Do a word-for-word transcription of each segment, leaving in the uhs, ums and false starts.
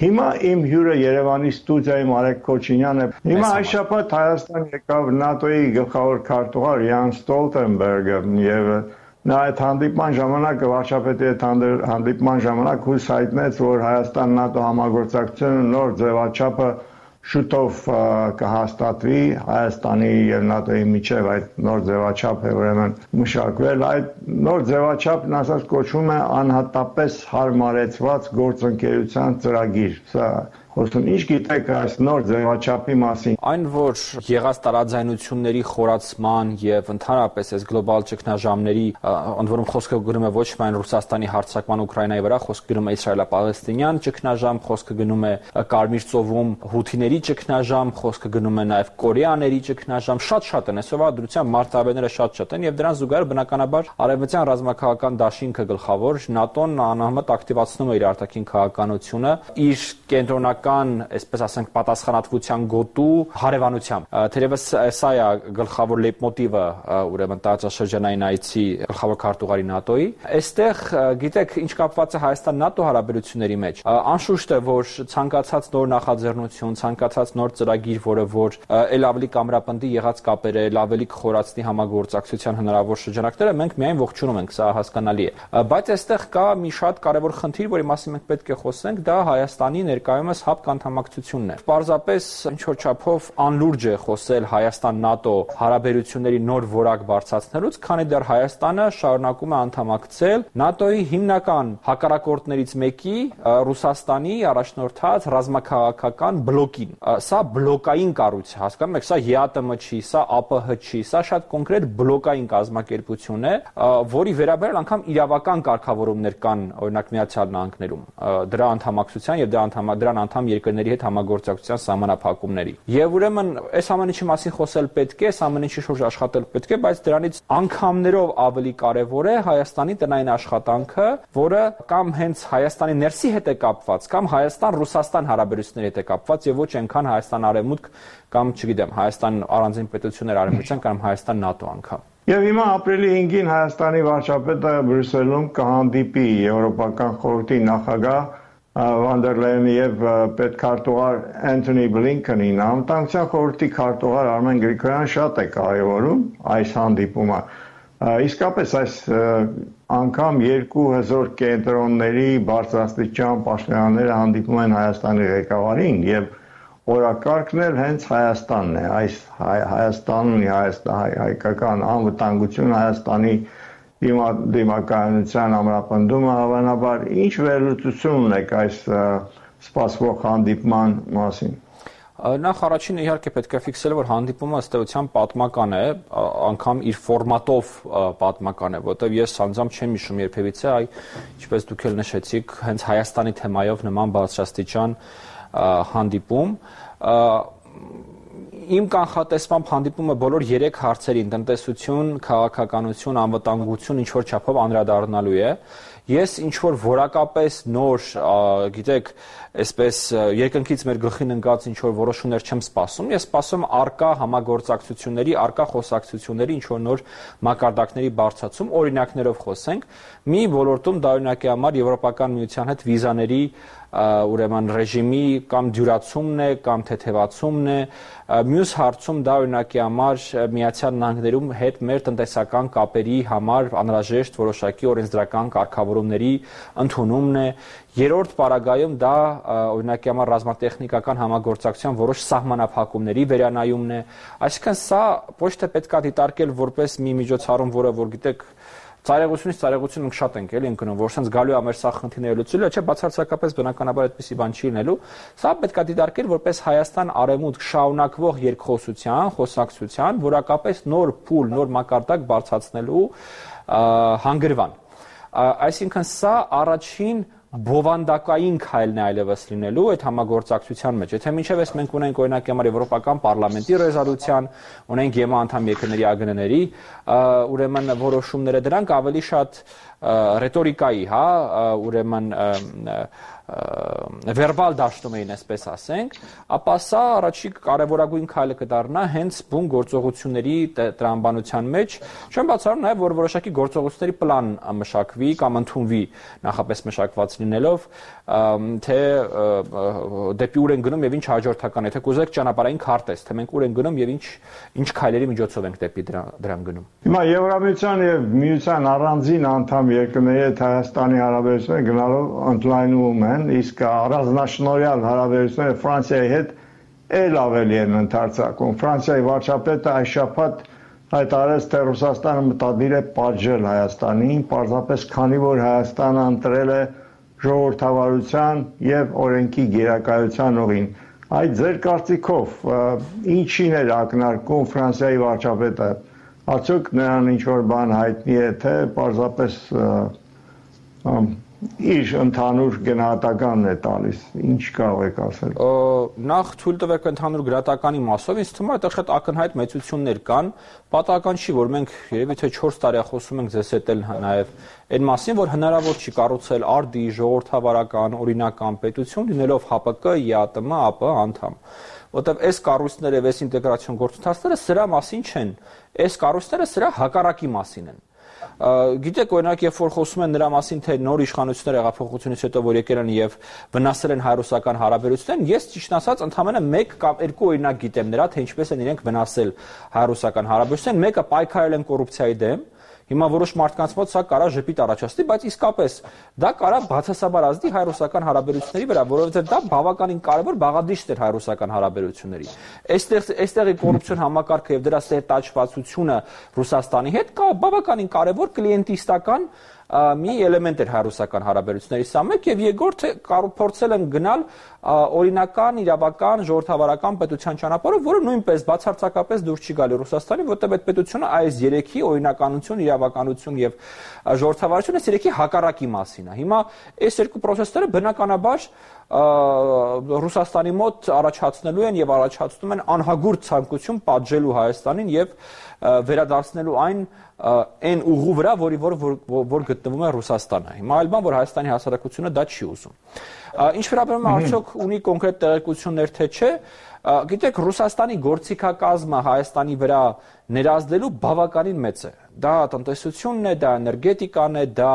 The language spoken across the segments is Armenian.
Հիմա իմ հյուրը Երևանի ստուդիայի Մարեկ Քոչինյանն է։ Հիմա այս շաբաթ Հայաստան եկավ ՆԱՏՕ-ի գլխավոր քարտուղար Յան Ստոլտենբերգը եւ նա այդ հանդիպման ժամանակ վարչապետի հետ հանդիպման ժամանակ հույս հայտնեց, որ Հայաստան-ՆԱՏՕ համագործակցությունը նոր ձևաչափը շուտով կհաստատվի Հայաստանի եւ ՆԱՏՕ-ի միջև այդ նոր ձևաչափը ուրեմն մշակվել այդ նոր ձևաչափն ասած կոչվում է անհատապես հարմարեցված գործընկերության ծրագիր սա Ոստον ինչ գիտեք այս նոր ձևաչափի մասին Այն որ եղած տարաձայնությունների խորացման եւ ընդհանրապես այս գլոբալ ճգնաժամերի ընդ որում խոսքը գնում է ոչ միայն Ռուսաստանի հարձակման Ուկրաինայի վրա, խոսքը գնում է Իսրայելա-Պալեստինյան ճգնաժամ, խոսքը գնում է Կարմիր ծովում հութիների ճգնաժամ, խոսքը գնում է նաեւ կորեաների ճգնաժամ, շատ-շատ են այսօրվա դրությամբ մարտավերները շատ-շատ են եւ դրան զուգահեռ բնականաբար արևմտյան ռազմաքաղաքական դաշինքը գլխավոր ՆԱՏՕ-ն անհամեմատ ակտիվացնում է իր արտաքին քաղաքականությունը իր կենտրոնական այսպես ասենք պատասխանատվության գոտու հարևանությամբ թերևս սա է գլխավոր լեյտմոտիվը ուրեմն տարածաշրջանային այցի գլխավոր քարտուղարի ՆԱՏՕ-ի այստեղ գիտեք ինչ կապված է Հայաստան-ՆԱՏՕ հարաբերությունների մեջ անշուշտ է որ ցանկացած նոր նախաձեռնություն ցանկացած նոր ծրագիր որը որ ել ավելի կամրապնդի եղած կապերը ել ավելի կխորացնի համագործակցության հնարավոր շրջանակները մենք միայն ողջունում ենք սա հասկանալի է բայց այստեղ կա մի շատ կարևոր խնդիր որի մասին մենք պետք է խոսենք դա Հայաստանի ներկայումս հապկ անդամակցությունն է պարզապես ինչ որ չափով անլուրջ է խոսել Հայաստան-ՆԱՏՕ հարաբերությունների նոր որակ բարձրացնելուց քանի դեռ Հայաստանը շարունակում է անդամակցել ՆԱՏՕ-ի հիմնական հակառակորդներից մեկի Ռուսաստանի առաջնորդած ռազմաքաղաքական բլոկին սա բլոկային կառույց է հասկանում եք սա ԵԱՏՄ չի սա ԱՊՀ չի սա շատ կոնկրետ բլոկային կազմակերպություն է որի վերաբերյալ անգամ իրավական կարգավորումներ կան օրինակ Միացյալ Նահանգներում դրա անդամակցության եւ դրա դրան անդամ երկրների հետ համագործակցության սահմանափակումների եւ ուրեմն այս ամեն ինչի մասին խոսել պետք է այս ամեն ինչի շուրջ աշխատել պետք է բայց դրանից անգամներով ավելի կարեւոր է Հայաստանի տնային աշխատանքը որը կամ հենց Հայաստանի ներսի հետ է կապված կամ Հայաստան-Ռուսաստան հարաբերությունների հետ է կապված եւ ոչ այնքան Հայաստան-Արևմուտք կամ չգիտեմ Հայաստան առանձին պետություններ արևմտյան կամ Հայաստան-ՆԱՏՕ անգամ Եվ հիմա ապրիլի հինգին Հայաստանի վարչապետը Բրյուսելում կհանդիպի Եվրոպական խորհրդի նախագահ Van der Leyen եւ պետքարտուղար Anthony Blinken-ին անվտանգության խորհրդի քարտուղար Արմեն Գրիգորյանը շատ է կարևորում այս հանդիպումը իսկապես այս անգամ երկու հզոր կենտրոնների բարձրաստիճան պաշտոնյաները հանդիպում են Հայաստանի ղեկավարին եւ օրակարգն էլ հենց Հայաստանն է այս Հայաստանն հայկական անվտանգություն Հայաստանի դիմակայունության ամրապնդումը հավանաբար ինչ վերլուծություն ունեք այս սպասվող հանդիպման մասին Նախ առաջինը իհարկե պետք է ֆիքսել որ հանդիպումը ըստ էության պատմական է, անգամ իր ֆորմատով պատմական է, որտեղ ես անձամբ չեմ հիշում երբևիցե, այ ինչպես դուք էլ նշեցիք, հենց Հայաստանի թեմայով նման բարձրաստիճան հանդիպում Իմ կանխատեսմամբ հանդիպումը բոլոր երեք հարցերին՝ տնտեսություն, քաղաքականություն, անվտանգություն ինչ որ չափով անդրադառնալու է։ Ես ինչ որ որակապես նոր, գիտեք, այսպես երկնքից մեր գլխին ընկած ինչ որ որոշումներ չեմ սպասում, ես սպասում արկա համագործակցությունների, արկա խոսակցությունների ինչ որ նոր մակարդակների բարձրացում, օրինակներով խոսենք, մի ոլորտում դա օրինակի համար Եվրոպական միության հետ վիզաների ուրեմն ռեժիմի կամ դյուրացումն է կամ թեթևացումն է մյուս հարցում դա օրինակի համար Միացյալ Նահանգներում հետ մեր տնտեսական կապերի համար անհրաժեշտ որոշակի օրենսդրական կարգավորումների ընդունումն է երրորդ պարագայում դա օրինակի համար ռազմատեխնիկական համագործակցության որոշ սահմանափակումների վերանայումն է այսինքն սա ոչ թե պետք է դիտարկել որպես մի միջոցառում որը որ գիտեք Ծայրեղությունից ծայրեղություն մենք շատ ենք էլի ընկնում, որ sense գալու է մեր սա խնդիրները լուծելու, չէ, բացարձակապես բնականաբար այդպեսի բան չի լինելու։ Սա պետք է դիտարկել որպես Հայաստան-Արևմուտք շարունակվող երկխոսության, խոսակցության, որակապես նոր փուլ, նոր մակարդակ բարձրացնելու հանգրվան։ Այսինքն սա առաջին բովանդակային քայլն է այլևս լինելու այդ համագործակցության մեջ։ Եթե մինչև այս մենք ունենք օրինակ համար Եվրոպական պարլամենտի ռեզոլյուցիան, ունենք ԵՄ անդամ երկրների ԱԳՆ-ների, ուրեմն որոշումները դրանք ավելի շատ ռետորիկայի, հա, ուրեմն վերբալ դաշտում էին, այսպես ասենք, ապա սա առաջի կարևորագույն քայլը կդառնա հենց բուն գործողությունների տրամաբանության մեջ, չեմ բացառում նաև, որ որոշակի գործողությունների պլան մշակվի կամ ընդունվի նախապես մշակված լինելով, թե դեպի ուր են գնում եւ ինչ հաջորդական, եթե կուզեք ճանապարհային քարտեզ, թե մենք ուր են գնում եւ ինչ ինչ քայլերի միջոցով ենք դեպի դրան գնում։ Հիմա Եվրամիության եւ Միության առանձին անդամ երկրների հետ Հայաստանի հարաբերությունները գնալով ընդլայնվում են, իսկ առանձնաշնորհյալ հարաբերությունները Ֆրանսիայի հետ էլ ավելի են ընդարձակում։ Ֆրանսիայի վարչապետը այս շաբաթ հայտարարեց, թե Ռուսաստանը մտադիր է պատժել Հայաստանին, պարզապես քանի որ Հայաստանը ընտրել է ժողովրդավարության եւ օրենքի գերակայության ուղին։ Այդ ձեր կարծիքով ինչին էր ակնարկում Ֆրանսիայի վարչապետը, արդյոք նրան ինչ որ բան հայտնի է, թե պարզապես իր ընդհանուր գնահատականն է տալիս, ինչ կարող եք ասել։ Նախ թույլ տվեք ընդհանուր գրատականի մասով, ինձ թվում է այդտեղ շատ ակնհայտ մեծություններ կան, պատահական չի, որ մենք երևի թե չորս տարի խոսում ենք ձեզ հետ էլ նաև այն մասին, որ հնարավոր չի կառուցել արդի ժողովրդավարական, օրինական պետություն, լինելով Հ Պ Կ, Յ Տ Մ, Ա Պ անդամ։ Որտեւ այս կառույցները եւ այս ինտեգրացիոն գործընթացները սրա մասին չեն, այս կառույցները սրա հակառակի մասին են։ Գիտեք, օրինակ, երբ որ խոսում են նրա մասին, թե նոր իշխանությունները հեղափոխությունից հետո որ եկել են եւ վնասել են հայ-ռուսական հարաբերություններին, ես ճիշտ ասած ընդհանրապես մեկ կամ երկու օրինակ գիտեմ նրա, թե ինչպես են իրենք վնասել հայ-ռուսական հարաբերություններին, մեկը պայքարել են կոռուպցիայի դեմ, հիմա որոշ մարդկանց մոտ սա կարա ժպիտ առաջացնի, բայց իսկապես դա կարա բացասաբար ազդի հայ-ռուսական հարաբերությունների վրա, որովհետեւ դա բավականին կարևոր բաղադրիչ էր հայ-ռուսական հարաբերությունների։ Այստեղ այստեղի կոռուպցիոն համակարգը եւ դրա սերտաճվածությունը Ռուսաստանի հետ կա բավականին կարևոր կլիենտիստական մի էլեմենտ էր հայ-ռուսական հարաբերությունների սա մեկ եւ երկրորդը փորձել են գնալ օրինական, իրավական, ժողովրդավարական պետության ճանապարհով, որը նույնպես բացարձակապես դուրս չի գալի Ռուսաստանի, որտեղ այդ պետությունը այս երեքի օրինականություն, իրավականություն եւ ժողովրդավարություն այս երեքի հակառակի մասին է։ Հիմա այս երկու process-ները բնականաբար Ռուսաստանի մոտ առաջացնելու են եւ առաջացնում են անհագուրդ ցանկություն պատժելու Հայաստանին եւ վերադարձնելու այն այն ուղու վրա, որի որ որ գտնվում է Ռուսաստանը։ Հիմա այլ բան, որ Հայաստանի հասարակությունը դա չի ուզում։ Ինչ վերաբերում է արդյոք ունի կոնկրետ տեղեկություններ թե չէ, գիտեք, Ռուսաստանի գործիքակազմը Հայաստանի վրա ներազդելու բավականին մեծ է։ Դա տնտեսությունն է, դա էներգետիկան է, դա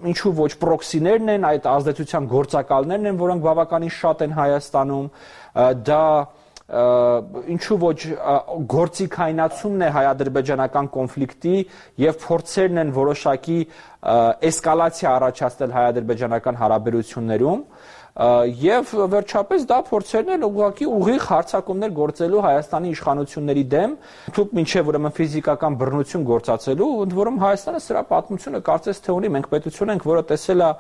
ինչու ոչ պրոքսիներն են, այդ ազդեցության գործակալներն են, որոնք բավականին շատ են Հայաստանում, դա ինչու ոչ գործիքայնացումն է հայ-ադրբեջանական կոնֆլիկտի եւ փորձերն են որոշակի էսկալացիա առաջացնել հայ-ադրբեջանական հարաբերություններում եւ վերջապես դա փորձերն են ուղղակի ուղիղ հարձակումներ գործելու Հայաստանի իշխանությունների դեմ, թուք մինչեւ ուրեմն ֆիզիկական բռնություն գործածելու, ընդ որում Հայաստանը սրա պատմությունը կարծես թե ունի, մենք պետություն ենք, որը տեսել է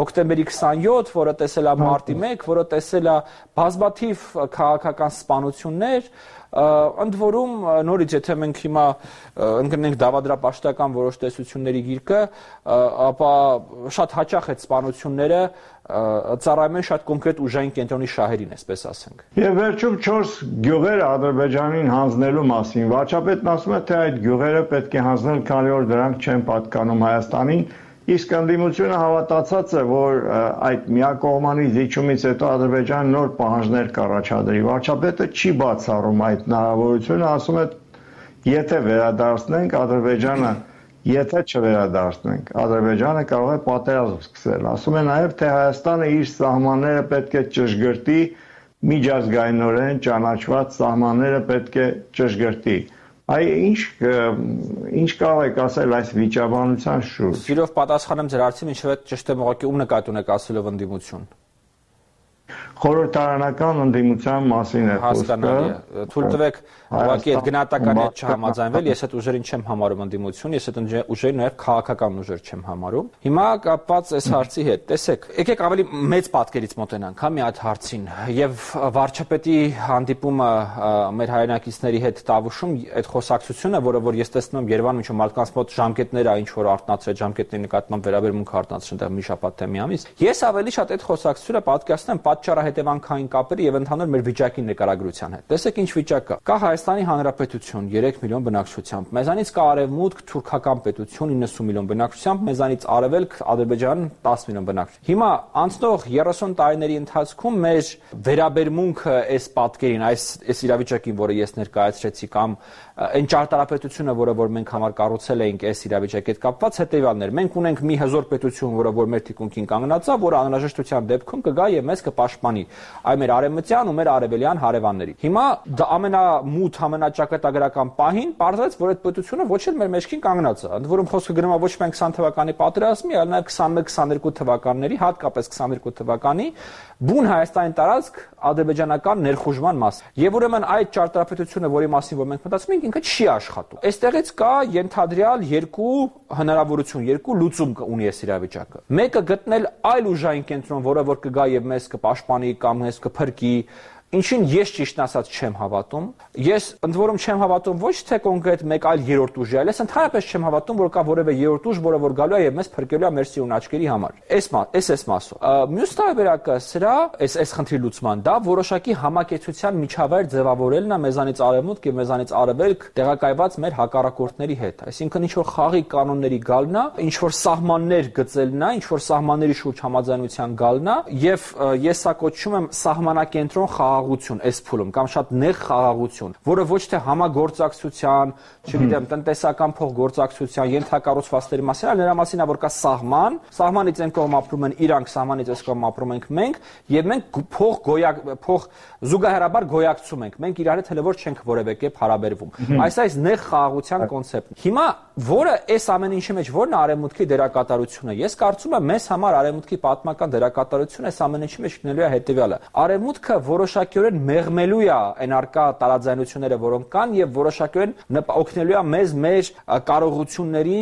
հոկտեմբերի քսանյոթ, որը տեսել է մարտի մեկ, որը տեսել է բազմաթիվ քաղաքական սպանություններ, ընդ որում նորից եթե մենք հիմա ընկնենք դավադրապաշտական որոշ տեսությունների գիրկը, ապա շատ հաճախ այդ սպանությունները ծառայում են շատ կոնկրետ ուժային կենտրոնի շահերին, այսպես ասենք։ Եվ վերջում չորս գյուղերը Ադրբեջանին հանձնելու մասին, վարչապետն ասում է, թե այդ գյուղերը պետք է հանձնել, քանի որ դրանք չեն պատկանում Հայաստանին, իսկ ընդդիմությունը հավատացած է, որ այդ միակողմանի զիջումից հետո Ադրբեջանը նոր պահանջներ կառաջադրի։ Վարչապետը չի բացառում այդ հնարավորությունը, ասում է, եթե վերադարձնենք Ադրբեջանը, եթե չվերադարձնենք, Ադրբեջանը կարող է պատերազմ սկսել։ Ասում է նաև, թե Հայաստանը իր սահմանները պետք է ճշգրտի, միջազգայինորեն ճանաչված սահմանները պետք է ճշգրտի։ Այ ինչ ինչ կարող եք ասել այս վիճաբանության շուրջ։ Սիրով պատասխանեմ ձեր հարցին, ինչու՞ է ճիշտ եմ ուղղակի ում նկատի ունեք ասելով ընդդիմություն։ Խորհրդարանական ընդդիմության մասին է խոսքը։ Հասկանալի է։ Թույլ տվեք ուղղակի այդ գնահատականի հետ չհամաձայնվել, ես այդ ուժերին չեմ համարում ընդդիմություն, ես այդ ուժերին նաև քաղաքական ուժեր չեմ համարում։ Հիմա կապված այս հարցի հետ, տեսեք, եկեք ավելի մեծ պատկերից մոտենանք, հա, մի հատ հարցին, եւ վարչապետի հանդիպումը մեր հայրենակիցների հետ Տավուշում, այդ խոսակցությունը, որը որ ես տեսնում եմ Երևանում, ինչու մարդկանց մոտ ժամկետներ է, ինչ որ արտնացրել ժամկետների նկատմամբ վերաբերմունք արտնացրել այնտեղ մի շաբաթ թե մի ամիս։ Ես ավելի շատ այդ խոսակցությունը պատկերացնում եմ պատճառահետ հետևանքային կապերի եւ ընդհանուր մեր վիճակի նկարագրության հետ։ Տեսեք ինչ վիճակ կա։ Կա Հայաստանի Հանրապետություն երեք միլիոն բնակչությամբ, մեզանից կա Արևմուտք թուրքական պետություն իննսուն միլիոն բնակչությամբ, մեզանից Արևելք Ադրբեջան տասը միլիոն բնակչությամբ։ Հիմա անցնող երեսուն տարիների ընթացքում մեր վերաբերմունքը այս պատկերին, այս այս իրավիճակին, որը ես ներկայացրեցի, կամ այն ճարտարապետությունը, որը որ մենք համար կառուցել էինք այս իրավիճակի հետ կապված, հետեւյալն էր։ Մենք ունենք մի հզոր պետություն, որը որ մեր թիկունքին կանգնած է, որը անհրաժեշտության դեպքում կգա եւ մեզ կպաշտպանի այ մեր արևմտյան ու մեր արևելյան հարևանների։ Հիմա դա ամենամութ, ամենաճակատագրական պահին պարզվեց, որ այդ պետությունը ոչ էլ մեր մեջքին կանգնած է։ Ընդ որում խոսքը գնում է ոչ միայն քսան թվականի պատերազմի, այլ նաեւ քսանմեկ քսաներկու թվականների, հատկապես քսաներկու թվականի բուն Հայաստանի տարածք ադրբեջանական ներխուժման մաս։ Եվ ուրեմն այդ ճարտարապետությունը, որի մասին որ մենք մտածում ենք, ինքը չի աշխատում։ Այստեղից կա ենթադրյալ երկու հնարավորություն, երկու լուծում ունի այս իրավիճակը։ Մեկը գտնել այլ ուժային կենտրոն, որը որ կգա եւ մեզ կպաշտպանի կամ մեզ կփրկի, ինչին ես ճիշտն ասած չեմ հավատում։ Ես ընդ որում չեմ հավատում ոչ թե կոնկրետ մեկ այլ երրորդ ուժի, այլ ես ընդհանրապես չեմ հավատում, որ կա որևէ երրորդ ուժ, որը որ գալու է եւ մեզ փրկելու է մեր սիրուն աչքերի համար։ Այս այս այս մասը։ Մյուս տարբերակը սրա, այս այս խնդրի լուծման, դա որոշակի համակեցության միջավայր ձևավորելն է մեզանից արևմուտք եւ մեզանից արևելք տեղակայված մեր հակառակորդների հետ։ Այսինքն ինչ որ խաղի կանոնների գալն է, ինչ որ սահմաններ գծելն է, ինչ որ սահմանների շուրջ համաձայնության գալն է եւ ես սա կոչում եմ սահմանակենտրոն խաղաղություն այս փուլում կամ շատ նեղ խաղաղություն, որը ոչ թե համագործակցության, չգիտեմ, տնտեսական փոխգործակցության, ենթակառուցվածքների մասին, այլ նրա մասին է, որ կա սահման, սահմանից այն կողմ ապրում են իրանք, սահմանից այս կողմ ապրում ենք մենք, եւ մենք փող գոյակ փող զուգահեռաբար գոյակցում ենք։ Մենք իրար հետ հələ որ չենք որևէ կերպ հարաբերվում։ Այս այս նեղ խաղաղության կոնցեպտն։ Հիմա որը այս ամեն ինչի մեջ որն է արևմուտքի դերակատարությունը։ Ես կարծում եմ մեզ համար արևմուտքի պատմական դերակատարությունը այս ամեն ինչի մեջ լինելու է հետեւյալը։ Արևմուտքը որոշակիորեն մեղմելու է այն արկա տարաձայնությունները, որոնք կան, եւ որոշակիորեն օգնելու է մեզ մեր կարողությունների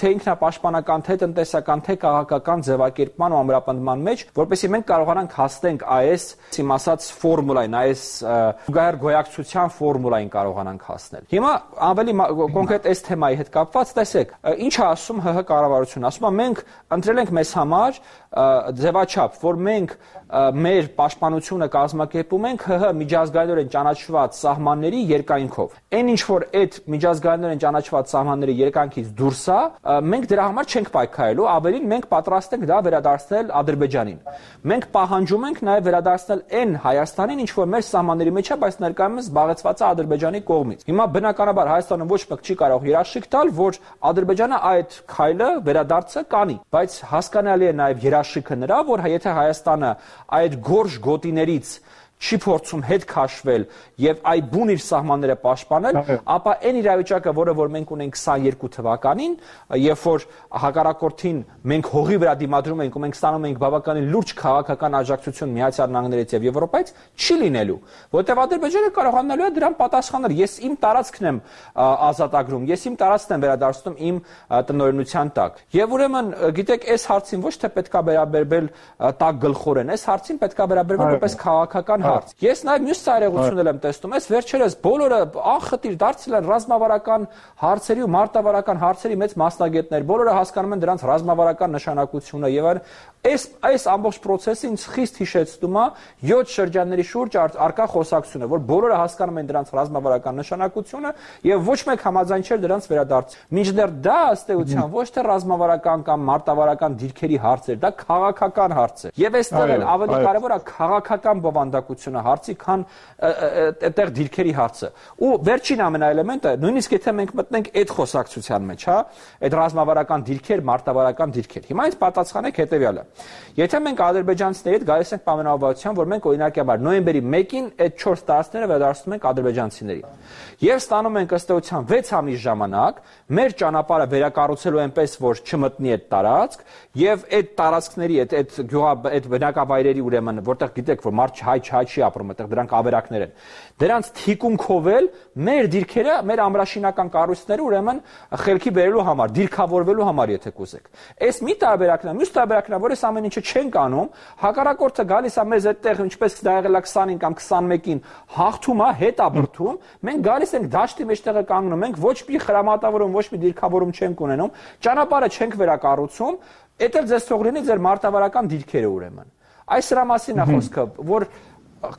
թե ինքնապաշտպանական, թե տնտեսական, թե քաղաքական ձևակերպման ու ամրապնդման մեջ, որպեսզի մենք կարողանանք հասնենք այս, իմ ասած, ֆորմուլային, այս զուգահեռ գոյակցության ֆորմուլային կարողանանք հասնել։ Հիմա ավելի կոնկրետ այս թեմայի հետ կապված, տեսեք, ինչ է ասում ՀՀ կառավարությունը։ Ասում է մենք ընտրել ենք մեզ համար ձևաչափ, որ մենք մեր պաշտպանությունը կազմակերպում ենք ՀՀ միջազգայինորեն ճանաչված սահմանների երկայնքով։ Այն ինչ որ այդ միջազգայինորեն ճանաչված սահմանների երկայնքից դուրս է, մենք դրա համար չենք պայքարելու, ավելին մենք պատրաստ ենք դա վերադարձնել Ադրբեջանին։ Մենք պահանջում ենք նաև վերադարձնել այն Հայաստանին, ինչ որ մեր սահմանների մեջ է, բայց ներկայումս զբաղեցված է Ադրբեջանի կողմից։ Հիմա բնականաբար Հայաստանը ոչ մեկ չի կարող երաշխիք տալ, որ Ադրբեջանը այդ քայլը վերադարձը կանի, բայց հասկանալի է նաև երաշխիքը նրա, որ եթե Հայաստանը այդ գորշ գոտիներից չի փորձում հետ քաշվել եւ այ բուն իր սահմանները պաշտպանել, ապա այն իրավիճակը, որը որ մենք ունենք քսաներկու թվականին, երբ որ հակառակորդին մենք հողի վրա դիմադրում ենք ու մենք ստանում ենք բավականին լուրջ քաղաքական աջակցություն Միացյալ Նահանգներից եւ Եվրոպայից, չի լինելու, որտեղ Ադրբեջանը կարողանալու է դրան պատասխանել։ Ես իմ տարածքն եմ ազատագրում, ես իմ տարածքն եմ վերադարձնում իմ տնօրինության տակ։ Եվ ուրեմն, գիտեք, այս հարցին ոչ թե պետքա վերաբերվել տակ գլխորեն, այս հարցին պետքա վերաբերվել որպես քաղաքական հարց։ Ես նաև մյուս ծայրեղություններ եմ տեսնում, այս վերջերս բոլորը անխտիր դարձել են ռազմավարական հարցերի ու մարտավարական հարցերի մեծ մասնագետներ, բոլորը հասկանում են դրանց ռազմավարական նշանակությունը եւ այլն։ Այս այս ամբողջ process-ը ինձ խիստ հիշեցնում է յոթ շրջանների շուրջ արկա խոսակցությունը, որ բոլորը հասկանում են դրանց ռազմավարական նշանակությունը եւ ոչ մեկ համաձայն չէր դրանց վերադարձ։ Մինչդեռ դա ըստ էության ոչ թե ռազմավարական կամ մարտավարական դիրքերի հարց էր, դա քաղաքական հարց է։ Եվ այստեղ էլ ավելի կարևոր է քաղաքական բովանդակությունը հարցի, քան այդտեղ դիրքերի հարցը։ Ու վերջին ամենաէլեմենտը, նույնիսկ եթե մենք մտնենք այդ խոսակցության մեջ, հա, այդ ռազմավարական դիրքեր, մարտավարական դիրքեր։ Հիմա ինձ պատասխանեք հետեւյալը։ Եթե մենք ադրբեջանցիների հետ գալիս ենք պայմանավորվածության, որ մենք օրինակաբար նոյեմբերի մեկին այդ չորս տարածքները վերադարձնում ենք ադրբեջանցիներին, եւ ստանում ենք ըստ էության վեց ամիս ժամանակ մեր ճանապարհը վերակառուցելու այնպես, որ չմտնի այդ տարածք, եւ այդ տարածքների, այդ այդ գյուղա այդ բնակավայրերի ուրեմն, որտեղ գիտեք, որ մարդ հայ հայ չի ապրում, այդտեղ դրանք ավերակներ են։ Դրանց թիկունքով էլ մեր դիրքերը, մեր ամրաշինական կառույցները ուրեմն խելքի բերելու համար, դիրքավորվելու համար, եթե կուզեք։ Այս մի տարբերակն է, մյուս տարբերակն է, որ այս ամեն ինչը չենք անում, հակառակորդը գալիս է մեզ այդտեղ, ինչպես դա եղել է քսանին կամ քսանմեկին, հաղթում է, հետ ապրթում, մենք գալիս ենք դաշտի մեջտեղը կանգնում ենք, ոչ մի խրամատավորում, ոչ մի դիրքավորում չենք ունենում, ճանապարհը չենք վերակառուցում, դա էլ ձեզ թող լինի ձեր մարտավարական դիրքերը ուրեմն։ Այս դրա մասին է խոսքը, որ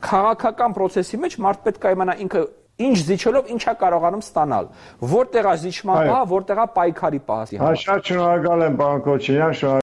քաղաքական process-ի մեջ մարդ պետք է իմանա ինքը ինչ զիջելով ինչա կարողանում ստանալ, որտեղ է զիջման պահը, որտեղ է պայքարի պահը։ Շատ շնորհակալ եմ, պարոն Քոչարյան,